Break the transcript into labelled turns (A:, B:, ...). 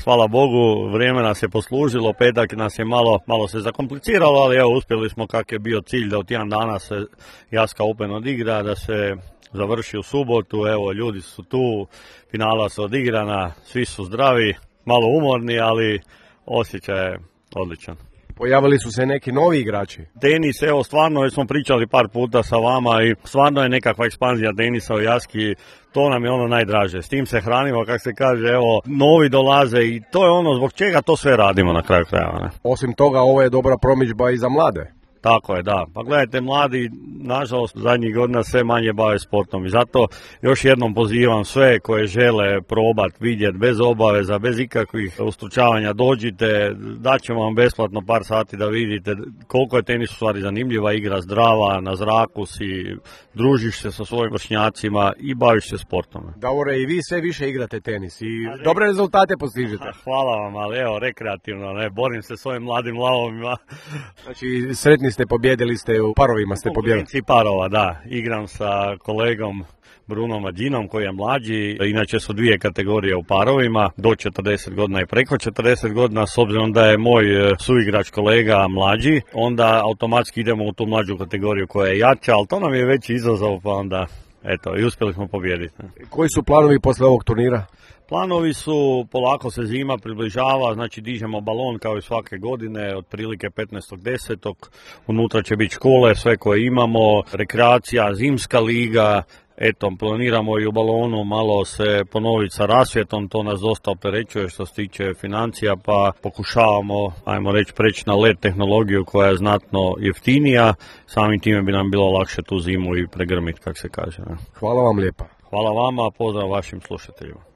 A: hvala Bogu, vrijeme nas je poslužilo, petak nas je malo se zakompliciralo, ali evo, uspjeli smo kak je bio cilj da u tjedan dana se Jaska Open odigra, da se završi u subotu, evo, ljudi su tu, finala su odigrana, svi su zdravi, malo umorni, ali osjećaj je odličan.
B: Pojavili su se neki novi igrači.
A: Tenis, evo, stvarno, već smo pričali par puta sa vama i stvarno je nekakva ekspanzija tenisa u Jaski, to nam je ono najdraže. S tim se hranimo, kako se kaže, evo, novi dolaze i to je ono zbog čega to sve radimo na kraju krajeva. Ne?
B: Osim toga, ovo je dobra promidžba i za mlade.
A: Tako je, da. Pa gledajte, mladi, nažalost, zadnjih godina sve manje bave sportom i zato još jednom pozivam sve koje žele probati, vidjeti, bez obaveza, bez ikakvih ustručavanja, dođite, daćemo vam besplatno par sati da vidite koliko je tenis u stvari zanimljiva igra, zdrava, na zraku si, družiš se sa svojim vršnjacima i baviš se sportom.
B: Davore, i vi sve više igrate tenis i dobre rezultate postižete.
A: Hvala vam, ali evo, rekreativno, ne, borim se s ovim mladim lavovima.
B: Znači, sretni ste, pobjedili ste u parovima, ste pobjedili.
A: U parova, da. Igram sa kolegom Brunom Mađinom koji je mlađi. Inače su dvije kategorije u parovima, do 40 godina i preko 40 godina. S obzirom da je moj suigrač kolega mlađi, onda automatski idemo u tu mlađu kategoriju koja je jača, ali to nam je veći izazov, pa onda eto, i uspjeli smo pobijediti.
B: Koji su planovi posle ovog turnira?
A: Planovi su, polako se zima približava, znači dižemo balon kao i svake godine, otprilike 15.10. Unutra će biti škole, sve koje imamo, rekreacija, zimska liga, eto, planiramo i u balonu malo se ponoviti sa rasvjetom, to nas dosta opterećuje što se tiče financija, pa pokušavamo, ajmo reći, preći na LED tehnologiju koja je znatno jeftinija, samim time bi nam bilo lakše tu zimu i pregrmiti, kako se kaže. Ne?
B: Hvala vam lijepa.
A: Hvala vama, pozdrav vašim slušateljima.